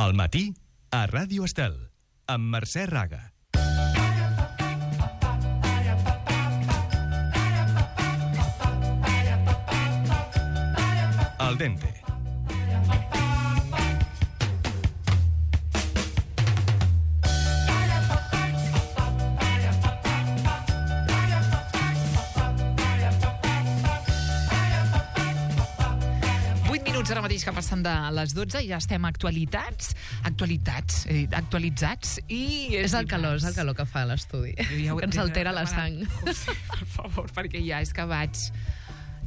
Al matí, a Ràdio Estel, amb Mercè Raga. Al dente. Ara mateix que passen de les 12 i ja estem actualitzats i... És el calor que fa l'estudi, que ens altera la sang. Per favor, perquè ja és que vaig...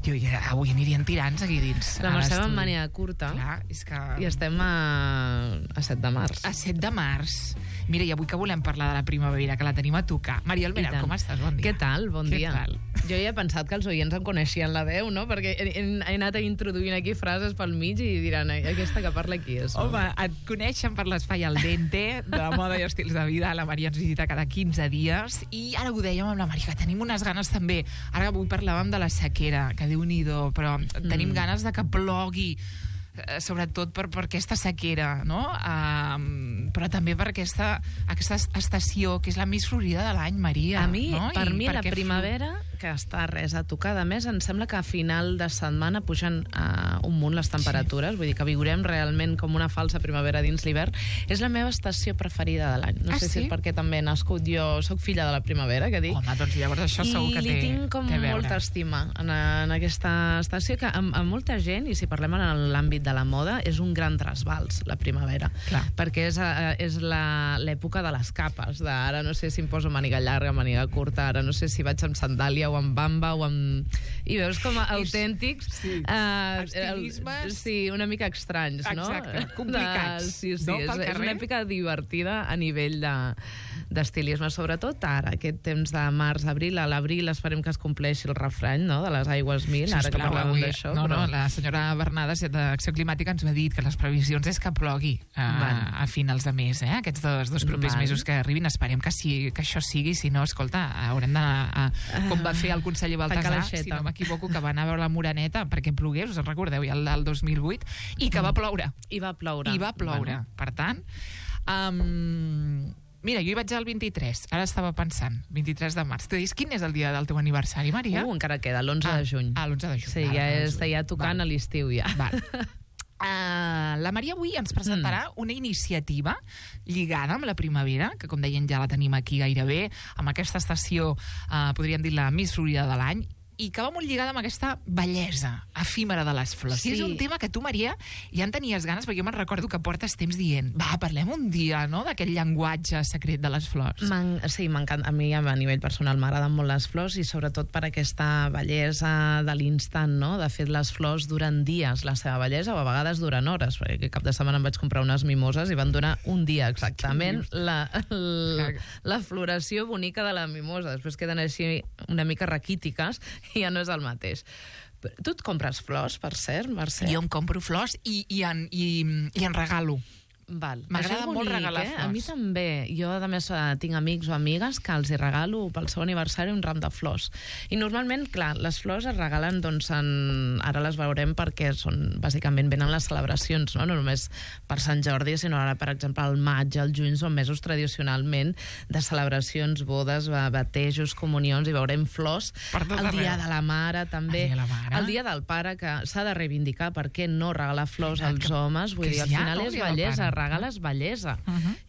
Jo ja avui anirien tirants aquí dins. La Mercè va amb màniga curta. Clar, és que... I estem a 7 de març. A 7 de març. Mira, i avui que volem parlar de la primavera, que la tenim a tocar. Maria Almenar, com estàs? Bon dia. Què tal? Bon dia. Tal? Jo ja he pensat que els oients em coneixien la veu, no? Perquè he anat introduint aquí frases pel mig i diran, aquesta que parla aquí és. Home, et coneixen per l'espai Al dente, de moda i estils de vida. La Maria ens visita cada 15 dies i ara ho dèiem amb la Maria, que tenim unes ganes també. Ara avui parlàvem de la sequera, que Déu-n'hi-do, però tenim ganes de que plogui, sobretot per aquesta sequera, no? Però també per aquesta estació que és la més florida de l'any, Maria. Per mi la primavera, que està res a tocar. A més, em sembla que a final de setmana pugen un munt les temperatures, vull dir que viurem realment com una falsa primavera dins l'hivern. És la meva estació preferida de l'any. No sé si és perquè també he nascut jo, soc filla de la primavera, que dic. Home, doncs llavors això segur que té... I li tinc com molta estima en aquesta estació, que amb molta gent, i si parlem en l'àmbit de la moda, és un gran trasbals, la primavera. Clar. Perquè és l'època de les capes, ara no sé si em poso màniga llarga, màniga curta, ara no sé si vaig amb sandàlia o amb bamba o amb... I veus com autèntics... Estilismes... Sí, una mica estranys, no? Exacte, complicats. Sí, no? És una època divertida a nivell d'estilisme, sobretot ara, aquest temps de març-abril. A l'abril esperem que es compleixi el refrany, no?, de les aigües 1000, ara que parlàvem d'això. No, la senyora Bernades d'Acció Climàtica ens va dir que les previsions és que plogui a finals de mes, aquests dos propers mesos que arribin. Esperem que això sigui, si no, escolta, haurem d'anar com va fer el conseller Baltasar, si no m'equivoco, que va anar a veure la Moreneta perquè plogués, us en recordeu, ja el del 2008, i que va ploure. I va ploure. Bueno. Per tant, mira, jo hi vaig el 23, ara estava pensant, 23 de març. Tu dius, quin és el dia del teu aniversari, Maria? Encara queda, l'11 de juny. L'11 de juny. Sí, ja està tocant a l'estiu, ja. La Maria avui ens presentarà una iniciativa lligada amb la primavera, que com deien ja la tenim aquí gairebé, amb aquesta estació, podríem dir la més florida de l'any, i que va molt lligada amb aquesta bellesa efímera de les flors. Sí. És un tema que tu, Maria, ja en tenies ganes, perquè jo me'n recordo que portes temps dient, parlem un dia, no?, d'aquest llenguatge secret de les flors. Sí, m'encanta. A mi, a nivell personal, m'agraden molt les flors, i sobretot per aquesta bellesa de l'instant, no? De fet, les flors duren dies, la seva bellesa, o a vegades duren hores, perquè aquest cap de setmana em vaig comprar unes mimoses i van durar un dia exactament la floració bonica de la mimosa. Després queden així una mica raquítiques, i ja no és el mateix. Tu et compres flors, per cert, Mercè? Jo em compro flors i en regalo. M'agrada molt regalar flors. A mi també. Jo, a més, tinc amics o amigues que els hi regalo pel seu aniversari un ram de flors. I normalment, clar, les flors es regalen, doncs, ara les veurem perquè bàsicament venen les celebracions, no només per Sant Jordi, sinó ara, per exemple, el maig, el juny, són mesos tradicionalment de celebracions, bodes, batejos, comunions, i veurem flors. El dia de la mare, també. El dia del pare, que s'ha de reivindicar, per què no regalar flors als homes? Vull dir, al final és bellesa, regales bellesa.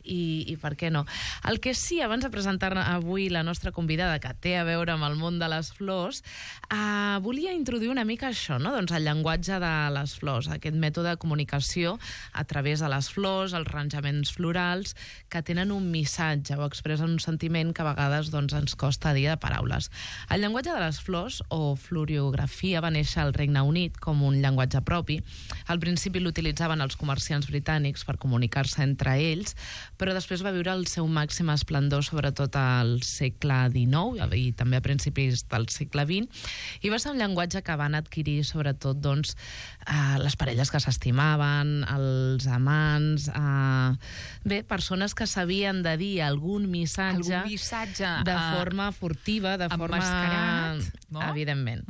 I per què no? El que sí, abans de presentar avui la nostra convidada, que té a veure amb el món de les flors, volia introduir una mica això, no? Doncs el llenguatge de les flors, aquest mètode de comunicació a través de les flors, els arranjaments florals, que tenen un missatge o expressen un sentiment que a vegades, doncs, ens costa dir de paraules. El llenguatge de les flors, o floriografia, va néixer al Regne Unit com un llenguatge propi. Al principi l'utilitzaven els comerciants britànics per comunicar-se entre ells, però després va viure el seu màxim esplendor, sobretot al segle XIX i també a principis del segle XX, i va ser un llenguatge que van adquirir sobretot, doncs, les parelles que s'estimaven, els amants, persones que sabien de dir algun missatge de forma furtiva, de forma... Emmascarat, no? Evidentment.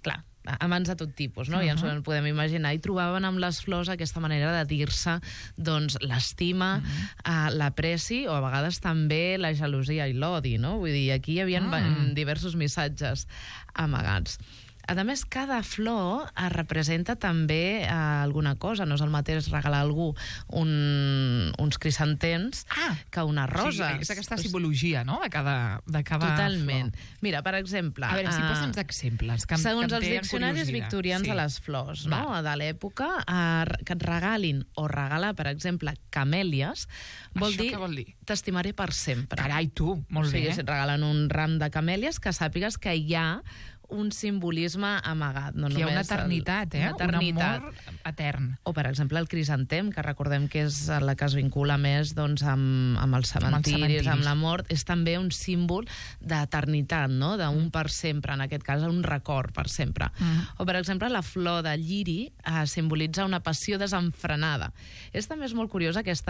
Clar. amants de tot tipus, no? Ja ens ho podem imaginar. I trobaven amb les flors aquesta manera de dir-se doncs, l'estima, l'apreci o a vegades també la gelosia i l'odi, no? Vull dir, aquí hi havia diversos missatges amagats. A més, cada flor representa també alguna cosa. No és el mateix regalar a algú uns crisantems que una rosa. Sí, és aquesta simbologia, no?, de cada Totalment. flor. Mira, per exemple... A veure, si posa'ns exemples. Segons els diccionaris victorians de les flors, no?, de l'època, que et regalin o regalar, per exemple, camèlies, vol dir t'estimaré per sempre. Carai, tu, molt bé. O sigui, si et regalen un ram de camèlies, que sàpigues que hi ha un simbolisme amagat. No hi ha una eternitat, una eternitat. Un amor etern. O, per exemple, el crisantem, que recordem que és la que es vincula més doncs, amb els cementiris, amb la mort, és també un símbol d'eternitat, no?, d'un per sempre, en aquest cas, un record per sempre. O, per exemple, la flor de lliri simbolitza una passió desenfrenada. També és molt curiós aquest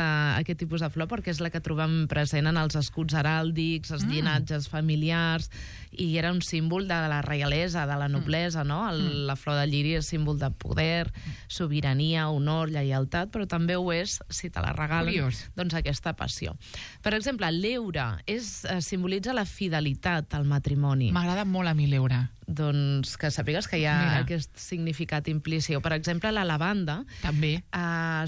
tipus de flor, perquè és la que trobem present en els escuts heràldics, els llinatges familiars, i era un símbol de la reialesa, de la noblesa, no? La flor de lliri és símbol de poder, sobirania, honor, lleialtat, però també ho és, si te la regalen, doncs aquesta passió. Per exemple, l'heura simbolitza la fidelitat al matrimoni. M'agrada molt a mi l'heura. Doncs que sàpigues que hi ha aquest significat implícit. O, per exemple, la lavanda també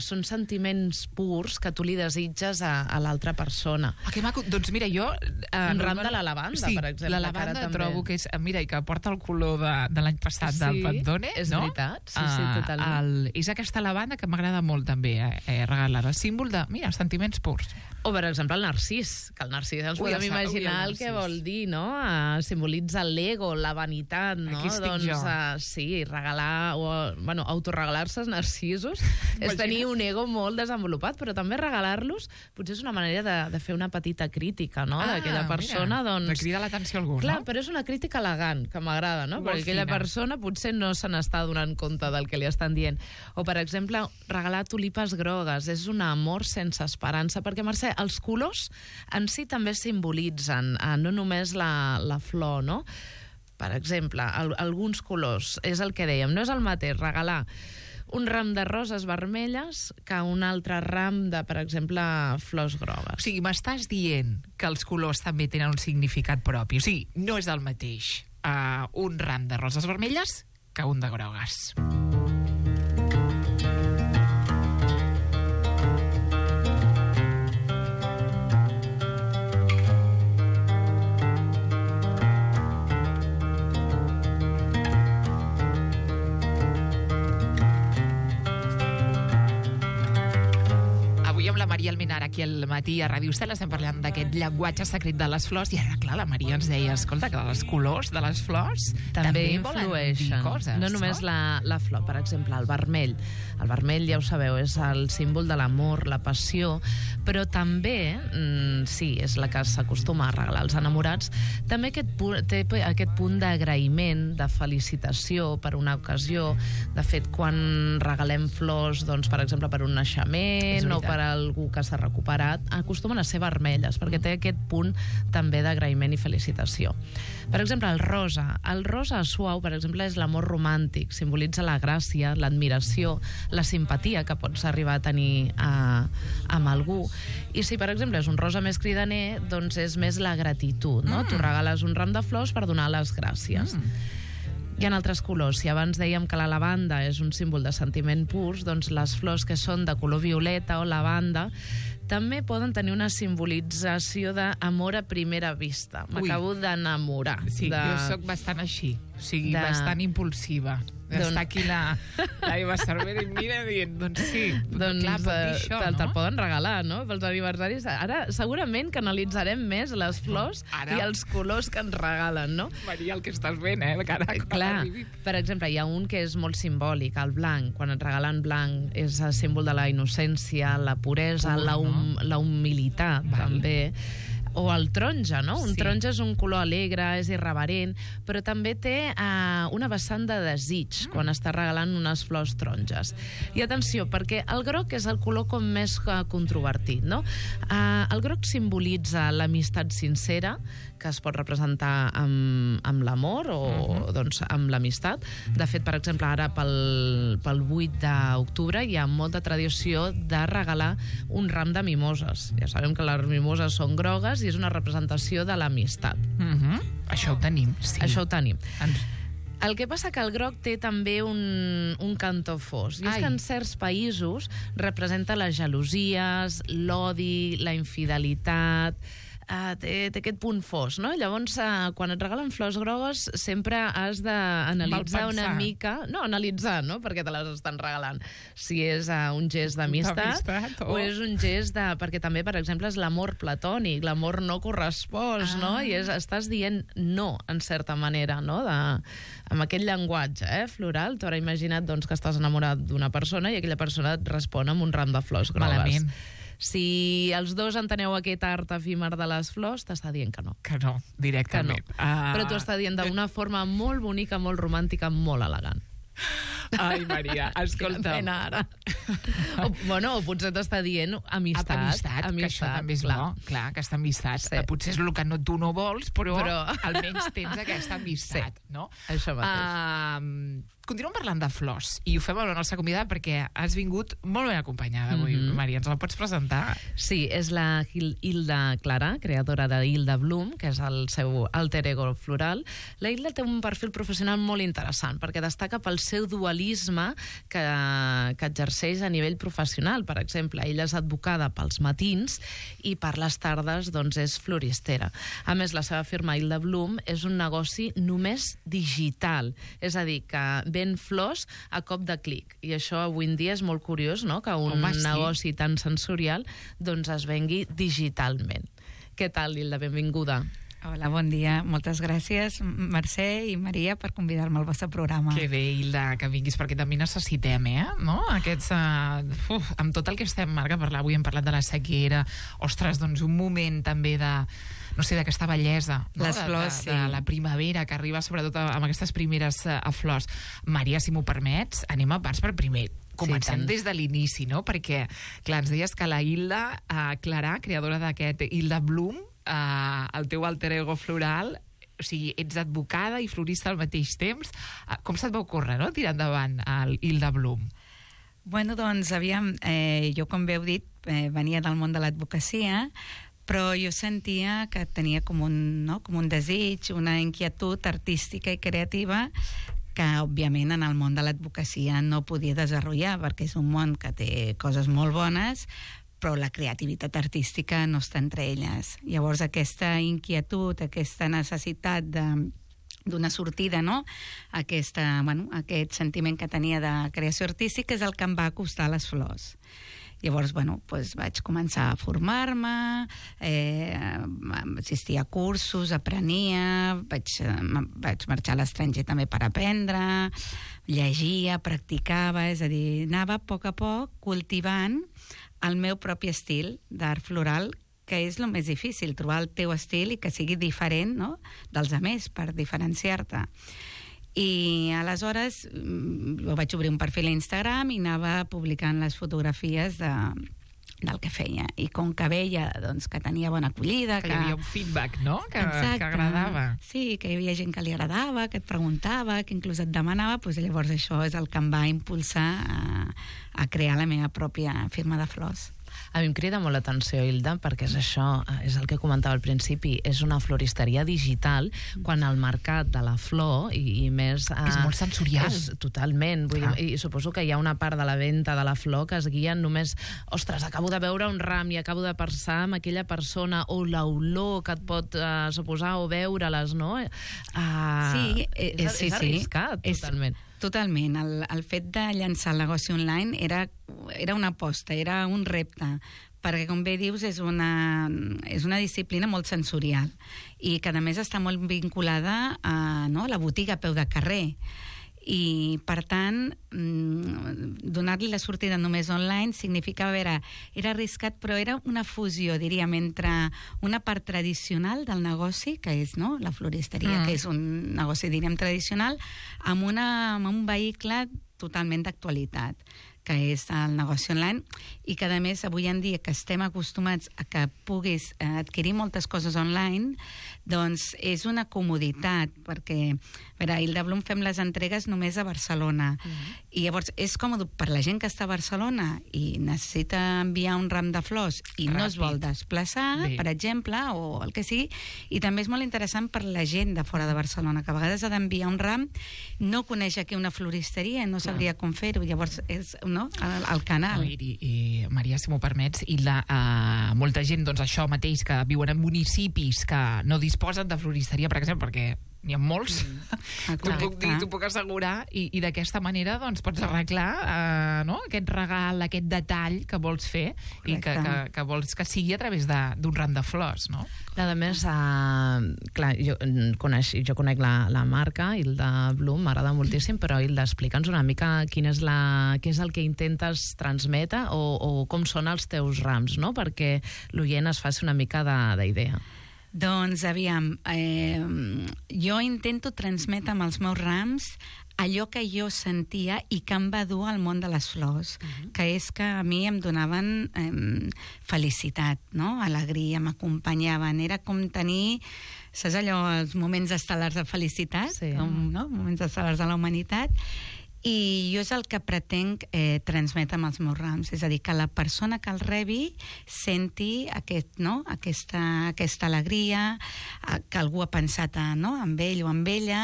són sentiments purs que tu li desitges a l'altra persona. Que maco. Doncs mira, jo... Un ram de la lavanda, per exemple. La lavanda trobo que és... Mira, i que porta el color de l'any passat del Pantone, és no? Veritat. Sí, totalment. És aquesta lavanda que m'agrada molt també regalar. El símbol de, mira, sentiments purs. O, per exemple, el narcís, que el narcís ens podem imaginar el que vol dir, no? Simbolitza l'ego, la vanitat, no? Aquí estic jo. Sí, regalar, autoregalar-se els narcisos és tenir un ego molt desenvolupat, però també regalar-los potser és una manera de fer una petita crítica, no? D'aquella persona, doncs... De cridar l'atenció a algú, no? Clar, però és una crítica elegant, que m'agrada, no? Perquè aquella persona potser no se n'està donant compte del que li estan dient. O, per exemple, regalar tulipes grogues és un amor sense esperança, perquè, Mercè, els colors en si també simbolitzen, no només la flor, no? Per exemple, alguns colors, és el que dèiem, no és el mateix regalar un ram de roses vermelles que un altre ram de, per exemple, flors grogues. O sigui, m'estàs dient que els colors també tenen un significat propi. O sigui, no és el mateix un ram de roses vermelles que un de grogues. Maria Almenar, aquí al matí a Ràdio Estel, estem parlant d'aquest llenguatge secret de les flors, i ara, clar, la Maria ens deia, escolta, que els colors de les flors també influeixen. Coses, no només la flor, per exemple, el vermell. El vermell, ja ho sabeu, és el símbol de l'amor, la passió, però també, sí, és la que s'acostuma a regalar als enamorats, també té aquest punt d'agraïment, de felicitació per una ocasió. De fet, quan regalem flors, doncs, per exemple, per un naixement o per algú que s'ha recuperat, acostumen a ser vermelles, perquè té aquest punt també d'agraïment i felicitació. Per exemple, el rosa. El rosa suau, per exemple, és l'amor romàntic, simbolitza la gràcia, l'admiració, la simpatia que pots arribar a tenir amb algú. I si, per exemple, és un rosa més cridaner, doncs és més la gratitud, no? Tu regales un ram de flors per donar les gràcies. Hi ha altres colors. Si abans dèiem que la lavanda és un símbol de sentiment purs, doncs les flors que són de color violeta o lavanda també poden tenir una simbolització d'amor a primera vista. M'acabo d'enamorar. Sí, jo sóc bastant així. O sigui, bastant impulsiva. Està aquí la Eva Cervera i mira dient, doncs sí, doncs, clar, pot dir això, no? Te'l poden regalar, no?, pels aniversaris. Ara segurament que analitzarem més les flors i els colors que ens regalen, no? Maria, el que estàs fent, cara, clar, per exemple, hi ha un que és molt simbòlic, el blanc. Quan et regalen blanc és el símbol de la innocència, la puresa, la humilitat, també. o el taronja, no? Un Sí. taronja és un color alegre, és irreverent, però també té una vessant de desig quan està regalant unes flors taronges. I atenció, perquè el groc és el color com més controvertit, no? El groc simbolitza l'amistat sincera, que es pot representar amb l'amor o doncs, amb l'amistat. De fet, per exemple, ara pel 8 d'octubre hi ha molta tradició de regalar un ram de mimoses. Ja sabem que les mimoses són grogues i és una representació de l'amistat. Això ho tenim, sí. Això ho tenim. Ens- El que passa que el groc té també un cantó fos. I és Ai. que en certs països representa les gelosies, l'odi, la infidelitat. Té aquest punt fos, no? Llavors, quan et regalen flors grogues, sempre has d'analitzar una Malpensar. mica... No, analitzar, no?, perquè te les estan regalant. Si és un gest d'amistat D'amistat, o és un gest de... Perquè també, per exemple, és l'amor platònic, l'amor no correspost, no? I estàs dient no, en certa manera, no?, amb aquest llenguatge floral. Tu ara imagina't doncs, que estàs enamorat d'una persona i aquella persona et respon amb un ram de flors grogues. Malament. Si els dos enteneu aquest art efímer de les flors, t'està dient que no. Que no, Que no. directament. Però t'ho està dient d'una forma molt bonica, molt romàntica, molt elegant. Ai, Maria, escolta. Quina pena ara. o potser t'està dient amistat. Amistat, que això també és bo. Clar, aquesta amistat. Sí. Potser és el que tu no vols, però Però- almenys tens aquesta amistat, no? Això mateix. Continuem parlant de flors, i ho fem amb la nostra convidada perquè has vingut molt ben acompanyada avui, Maria. Ens la pots presentar? Sí, és la Hilda Clara, creadora de Hilda Bloom, que és el seu alter ego floral. La Hilda té un perfil professional molt interessant, perquè destaca pel seu dualisme que exerceix a nivell professional. Per exemple, ella és advocada pels matins i per les tardes doncs, és floristera. A més, la seva firma Hilda Bloom és un negoci només digital, és a dir, que ven flors a cop de clic. I això avui en dia és molt curiós, no?, que un Home, sí. negoci tan sensorial doncs es vengui digitalment. Què tal, Hilda? Benvinguda. Hola, bon dia. Moltes gràcies, Mercè i Maria, per convidar-me al vostre programa. Que bé, Hilda, que vinguis, perquè també necessitem, no? Aquests, amb tot el que estem, Marc, a parlar avui, hem parlat de la sequera, ostres, doncs un moment també de, no sé, d'aquesta bellesa, no? Les flors, de sí. la primavera, que arriba sobretot amb aquestes primeres flors. Maria, si m'ho permets, anem a parts per primer. Comencem tant. des de l'inici, no? Perquè, clar, ens deies que la Hilda Clara, creadora d'aquest Hilda Bloom, el teu alter ego floral, o sigui, ets advocada i florista al mateix temps. Com se't va ocórrer, no?, tirar endavant el Hilda Bloom? Bueno, doncs, aviam, jo, com bé heu dit, venia del món de l'advocacia, però jo sentia que tenia com un desig, una inquietud artística i creativa que, òbviament, en el món de l'advocacia no podia desenvolupar, perquè és un món que té coses molt bones, però la creativitat artística no està entre elles. Llavors, aquesta inquietud, aquesta necessitat d'una sortida, no?, aquest sentiment que tenia de creació artística és el que em va acostar a les flors. Llavors, vaig començar a formar-me, assistir a cursos, aprenia, vaig marxar a l'estranger també per aprendre, llegia, practicava, és a dir, anava a poc cultivant el meu propi estil d'art floral, que és el més difícil, trobar el teu estil i que sigui diferent, no?, dels altres, per diferenciar-te. I aleshores jo vaig obrir un perfil a Instagram i anava publicant les fotografies del que feia. I com que veia doncs, que tenia bona acollida... Que hi havia un feedback, no?, que agradava. Sí, que hi havia gent que li agradava, que et preguntava, que inclús et demanava, doncs llavors això és el que em va impulsar a crear la meva pròpia firma de flors. A mi em crida molt l'atenció, Hilda, perquè és això, és el que comentava al principi, és una floristeria digital, quan el mercat de la flor, i més... És molt sensorial. Totalment, vull dir, i suposo que hi ha una part de la venda de la flor que es guia només, ostres, acabo de veure un ram i acabo de pensar en aquella persona, o l'olor que et pot suposar, o veure-les, no? Sí, és arriscat, totalment. Totalment. El fet de llançar el negoci online era una aposta, era un repte, perquè, com bé dius, és una disciplina molt sensorial i que, a més, està molt vinculada a la botiga a peu de carrer. I, per tant, donar-li la sortida només online significava, era arriscat, però era una fusió, diríem, entre una part tradicional del negoci, que és, no?, la floristeria, que és un negoci, diríem, tradicional, amb un vehicle totalment d'actualitat, que és el negoci online, i que, a més, avui en dia que estem acostumats a que puguis adquirir moltes coses online, doncs és una comoditat, perquè, a veure, a Hilda Blum fem les entregues només a Barcelona, i llavors és còmode per la gent que està a Barcelona i necessita enviar un ram de flors i no es vol desplaçar, per exemple, o el que sigui, i també és molt interessant per la gent de fora de Barcelona, que a vegades ha d'enviar un ram, no coneix aquí una floristeria, no sabria com fer-ho, llavors és el canal. I Maria, si m'ho permets, i molta gent, doncs això mateix, que viuen en municipis que no disposen de floristeria, per exemple, perquè n'hi ha molts, t'ho puc assegurar, i d'aquesta manera doncs pots arreglar aquest regal, aquest detall que vols fer i que vols que sigui a través d'un ram de flors, no? A més, clar, jo conec la marca, Hilda Blum, m'agrada moltíssim, però Hilda, explica'ns una mica què és el que intentes transmetre o com són els teus rams, no?, perquè l'oient es faci una mica d'idea. Doncs, aviam, jo intento transmetre amb els meus rams allò que jo sentia i que em va dur al món de les flors, que és que a mi em donaven felicitat, no?, alegria, m'acompanyaven, era com tenir, saps allò, els moments estel·lars de felicitat, moments estel·lars de la humanitat, i jo és el que pretenc transmetre amb els meus rams, és a dir, que la persona que el rebi senti aquesta alegria, que algú ha pensat en ell o en ella,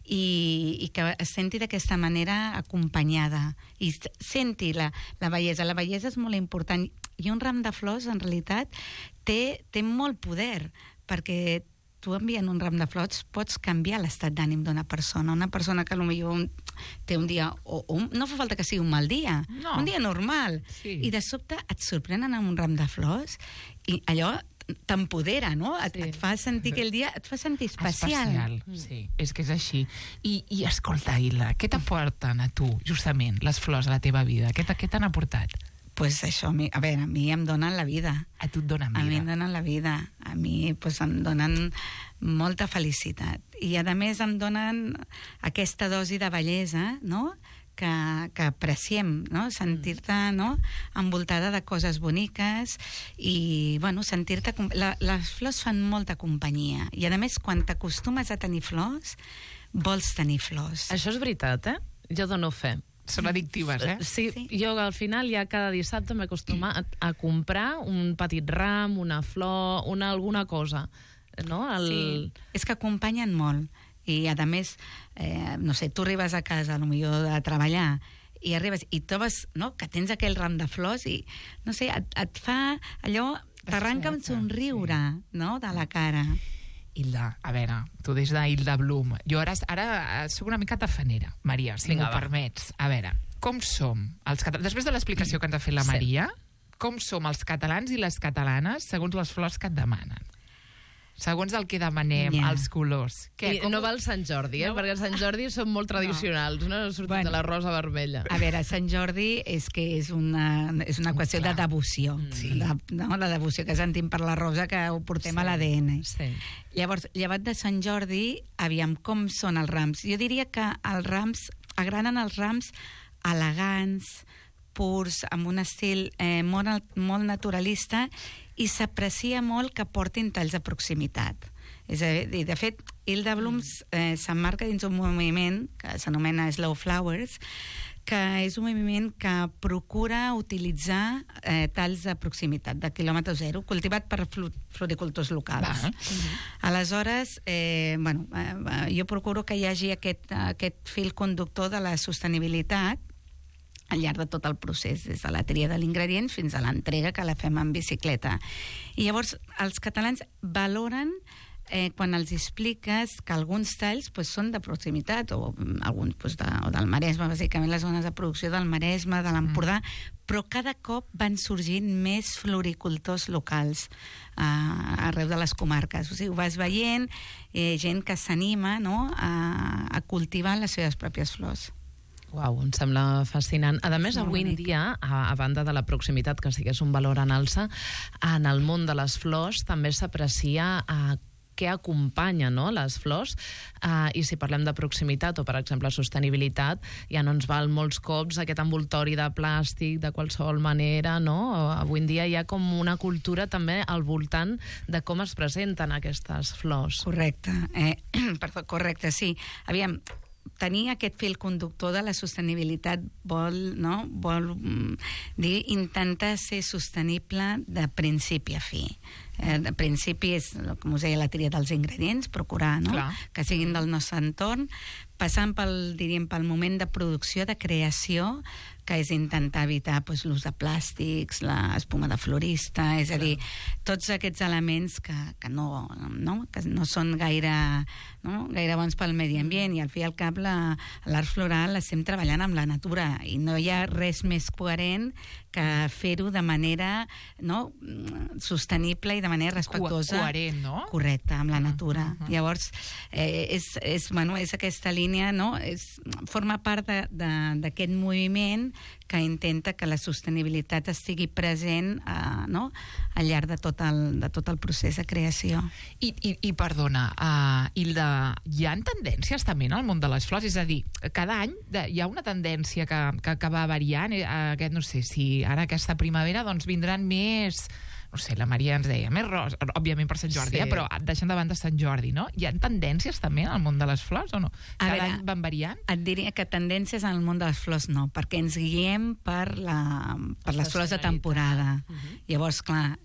i que es senti d'aquesta manera acompanyada, i senti la bellesa. La bellesa és molt important, i un ram de flors, en realitat, té molt poder, perquè tu enviant un ram de flors pots canviar l'estat d'ànim d'una persona. Una persona que potser té un dia, no fa falta que sigui un mal dia, un dia normal, i de sobte et sorprenen amb un ram de flors i allò t'empodera, no? Et fa sentir aquell dia, et fa sentir especial. Sí, és que és així. I escolta, Hilda, què t'aporten a tu, justament, les flors a la teva vida? Què t'han aportat? Pues això, a mi em donen la vida. A tu et donen vida? A mi em donen la vida. A mi em donen molta felicitat. I, a més, em donen aquesta dosi de bellesa, no?, que apreciem, no?, sentir-te envoltada de coses boniques i, sentir-te... Les flors fan molta companyia. I, a més, quan t'acostumes a tenir flors, vols tenir flors. Això és veritat, Jo dono fe. Són addictives, Sí, jo al final ja cada dissabte m'acostuma a comprar un petit ram, una flor, alguna cosa, no? Sí, és que acompanyen molt. I, a més, no sé, tu arribes a casa, potser de treballar, i arribes i trobes que tens aquell ram de flors i, no sé, et fa allò, t'arranca un somriure, no?, de la cara. Hilda, a veure, tu des d'Hilda Blum, jo ara soc una mica tafanera, Maria, si m'ho permets. A veure, com som els catalans, després de l'explicació que ens ha fet la Maria, com som els catalans i les catalanes segons les flors que et demanen? Segons el que demanem, els colors. No va el Sant Jordi, perquè el Sant Jordi són molt tradicionals, no? Sortim de la rosa vermella. A veure, Sant Jordi és una qüestió de devoció. La devoció que sentim per la rosa, que ho portem a l'ADN. Llavors, llevat de Sant Jordi, aviam, com són els rams? Jo diria que agraden els rams elegants, purs, amb un estil molt naturalista, i s'aprecia molt que portin talls de proximitat. És a dir, de fet, Hilda Blum s'emmarca dins un moviment que s'anomena Slow Flowers, que és un moviment que procura utilitzar talls de proximitat, de quilòmetre zero, cultivat per floricultors locals. Aleshores, jo procuro que hi hagi aquest fil conductor de la sostenibilitat al llarg de tot el procés, des de la tria de l'ingredient fins a l'entrega, que la fem en bicicleta. I llavors els catalans valoren quan els expliques que alguns talls són de proximitat, o alguns o del Maresme, bàsicament les zones de producció del Maresme, de l'Empordà, però cada cop van sorgint més floricultors locals arreu de les comarques. O sigui, ho vas veient, gent que s'anima, no?, a cultivar les seves pròpies flors. Uau, em sembla fascinant. A més, avui en dia, a banda de la proximitat, que sí que és un valor en alça, en el món de les flors també s'aprecia què acompanya, no?, les flors, i si parlem de proximitat o, per exemple, sostenibilitat, ja no ens val molts cops aquest envoltori de plàstic de qualsevol manera, no? Avui en dia hi ha com una cultura també al voltant de com es presenten aquestes flors. Correcte, correcte, sí. Aviam, tenir aquest fil conductor de la sostenibilitat vol dir intentar ser sostenible de principi a fi. De principi és, com us deia, la tria dels ingredients, procurar, no?, que siguin del nostre entorn, passant pel moment de producció, de creació, que és intentar evitar l'ús de plàstics, l'espuma de florista, és a dir, tots aquests elements que no són gaire bons pel medi ambient, i al fi i al cap l'art floral estem treballant amb la natura i no hi ha res més coherent que fer-ho de manera sostenible i de manera respectuosa. Coherent, no? Correcte, amb la natura. Llavors, és aquesta línia, no? Forma part d'aquest moviment que intenta que la sostenibilitat estigui present al llarg de tot el procés de creació. I perdona, hi ha tendències també en el món de les flors? És a dir, cada any hi ha una tendència que va variant, no sé, si ara aquesta primavera vindran més... No sé, la Maria ens deia, més rosa, òbviament per Sant Jordi, però deixant de banda Sant Jordi, no? Hi ha tendències també en el món de les flors o no? Cada any van variant? Et diria que tendències en el món de les flors no, perquè ens guiem per les flors de temporada. Llavors, clar,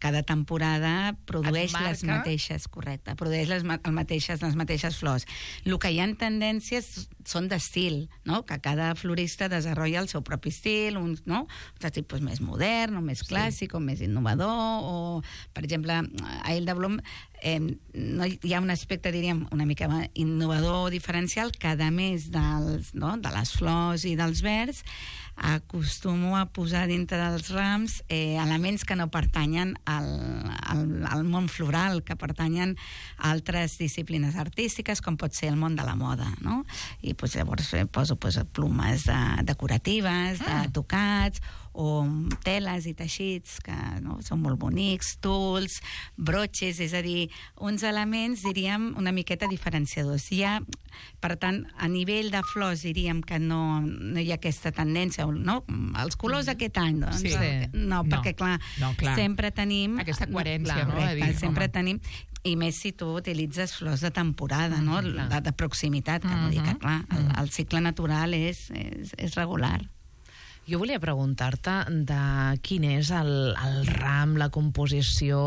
cada temporada produeix les mateixes, correcte, produeix les mateixes flors. El que hi ha tendències són d'estil, no?, que cada florista desenvolupa el seu propi estil, un tipus més modern, o més clàssic, o més innovador, o, per exemple, a Hilda Blum hi ha un aspecte, diríem, una mica innovador o diferencial, que a més de les flors i dels verds, acostumo a posar dintre dels rams elements que no pertanyen al món floral, que pertanyen a altres disciplines artístiques, com pot ser el món de la moda, no? I llavors poso plomes decoratives, de tocats, o teles i teixits que són molt bonics, tuls, broches, és a dir, uns elements, diríem, una miqueta diferenciadors. Per tant, a nivell de flors diríem que no hi ha aquesta tendència, no? Els colors d'aquest any, doncs, no, perquè clar, sempre tenim... Aquesta coherència, no? Sempre tenim... I més si tu utilitzes flors de temporada, no? De proximitat, que no dic que, clar, el cicle natural és regular. Jo volia preguntar-te de quin és el ram, la composició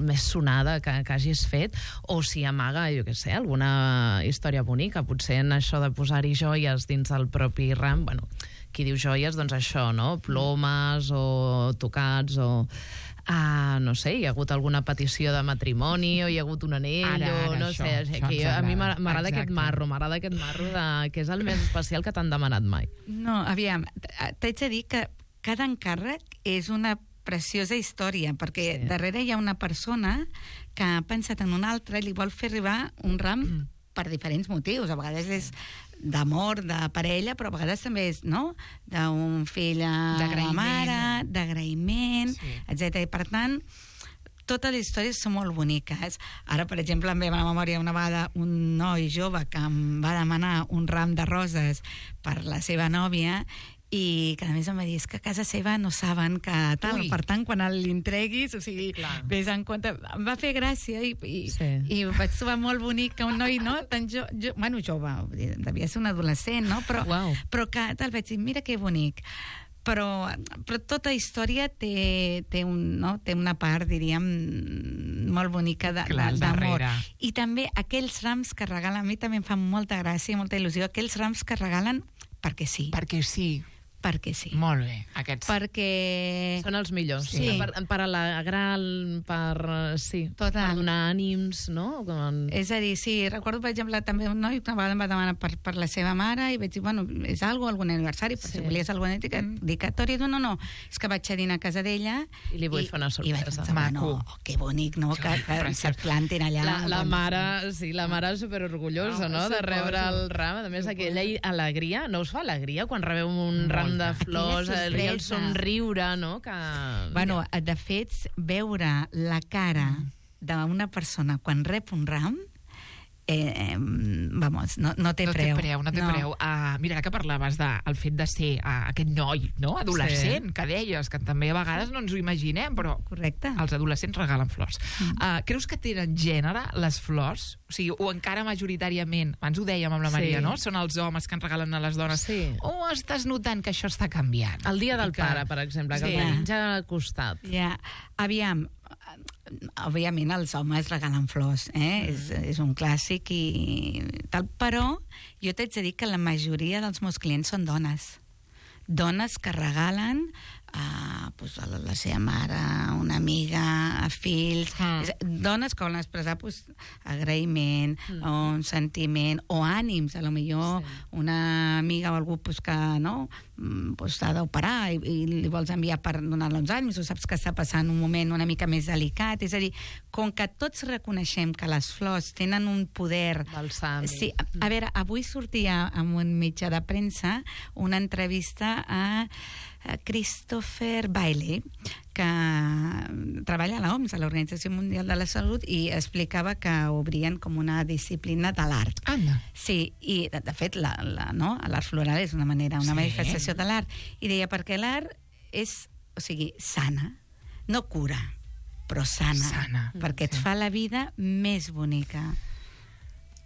més sonada que hagis fet, o si amaga, jo què sé, alguna història bonica, potser en això de posar-hi joies dins del propi ram. Bueno, qui diu joies, doncs això, no? Plomes o tocats o... no sé, hi ha hagut alguna petició de matrimoni o hi ha hagut un anell o no sé, a mi m'agrada aquest marro que és el més especial que t'han demanat mai. No, aviam, t'haig de dir que cada encàrrec és una preciosa història, perquè darrere hi ha una persona que ha pensat en una altra i li vol fer arribar un ram per diferents motius. A vegades és d'amor, de parella, però a vegades també és, no?, d'un fill a la mare, d'agraïment, etc. I per tant, totes les històries són molt boniques. Ara, per exemple, em ve a la memòria una vegada un noi jove que em va demanar un ram de roses per la seva nòvia i que a més em va dir, és que a casa seva no saben que tal, per tant quan l'entreguis, o sigui, vés en compte, em va fer gràcia i ho vaig trobar molt bonic que un noi, no, tan jove, devia ser un adolescent, no, però que tal, vaig dir, mira que bonic. Però tota història té una part, diríem, molt bonica d'amor. I també aquells rams que regalen, a mi també em fan molta gràcia i molta il·lusió, aquells rams que regalen perquè sí. Perquè sí. perquè sí. Molt bé, aquests. Perquè... Són els millors. Sí. Per alegrar, per donar ànims, no? És a dir, sí, recordo, per exemple, també un noi una vegada em va demanar per la seva mare i vaig dir, bueno, és algun aniversari, per si volies alguna dedicatòria. No, és que vaig a dinar a casa d'ella i li vull fer una sorpresa. I vaig pensar, bueno, que bonic, no? Que se't plantin allà. La mare, sí, la mare superorgullosa, no? De rebre el ram. A més, aquella alegria, no us fa alegria quan rebeu un ram de flors, el somriure, no? Bueno, de fet, veure la cara d'una persona quan rep un ram, vamos, no té preu. No té preu. Mira, ara que parlaves del fet de ser aquest noi, no? Adolescent, que deies, que també a vegades no ens ho imaginem, però correcte. Els adolescents regalen flors. Creus que tenen gènere, les flors? O sigui, o encara majoritàriament, abans ho dèiem amb la Maria, no? Són els homes que en regalen a les dones. Sí. O estàs notant que això està canviant? El dia del pare, per exemple, que el tenim ja al costat. Ja, aviam, òbviament els homes regalen flors, és un clàssic i tal, però jo t'haig de dir que la majoria dels meus clients són dones que regalen a la seva mare, una amiga, a fills, dones que volen expressar agraïment, o un sentiment, o ànims, a lo millor una amiga o algú que s'ha d'operar i li vols enviar per donar-li uns ànims, o saps que està passant un moment una mica més delicat. És a dir, com que tots reconeixem que les flors tenen un poder... Balsàmic. Sí, a veure, avui sortia en un mitjà de premsa una entrevista a Christopher Bailey, que treballa a l'OMS, a l'Organització Mundial de la Salut, i explicava que obrien com una disciplina de l'art. Anna. Sí, i de fet l'art floral és una manifestació de l'art, i deia perquè l'art és, sana, no cura, però sana. Perquè et fa la vida més bonica.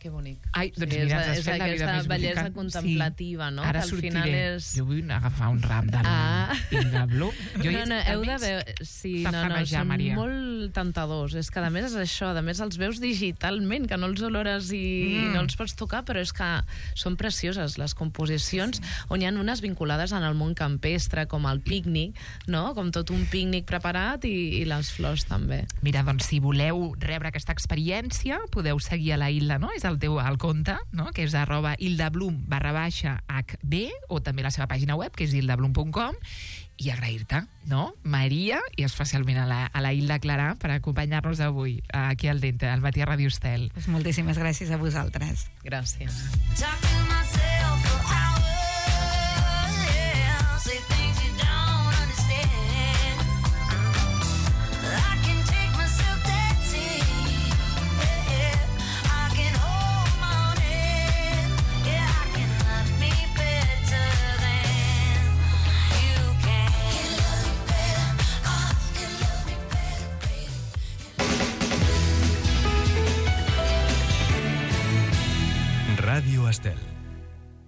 Que bonic. Ai, doncs mira, és aquesta bellesa contemplativa, no? Ara sortiré. Jo vull agafar un ram de Hilda Blum. Heu de veure... Sí, són molt tentadors. És que, a més, és això. A més, els veus digitalment, que no els olores i no els pots tocar, però és que són precioses, les composicions, on hi ha unes vinculades en el món campestre, com el pícnic, no? Com tot un pícnic preparat i les flors també. Mira, doncs, si voleu rebre aquesta experiència, podeu seguir a la Hilda, no? És el compte, no? Que és @hildablum_hb, o també la seva pàgina web, que és hildablum.com, i agrair-te, no? Maria, i especialment a la Hilda Clarà, per acompanyar-nos avui aquí al Dente, al Matí a Ràdio Estel. Moltíssimes gràcies a vosaltres. Gràcies. Ràdio Estel.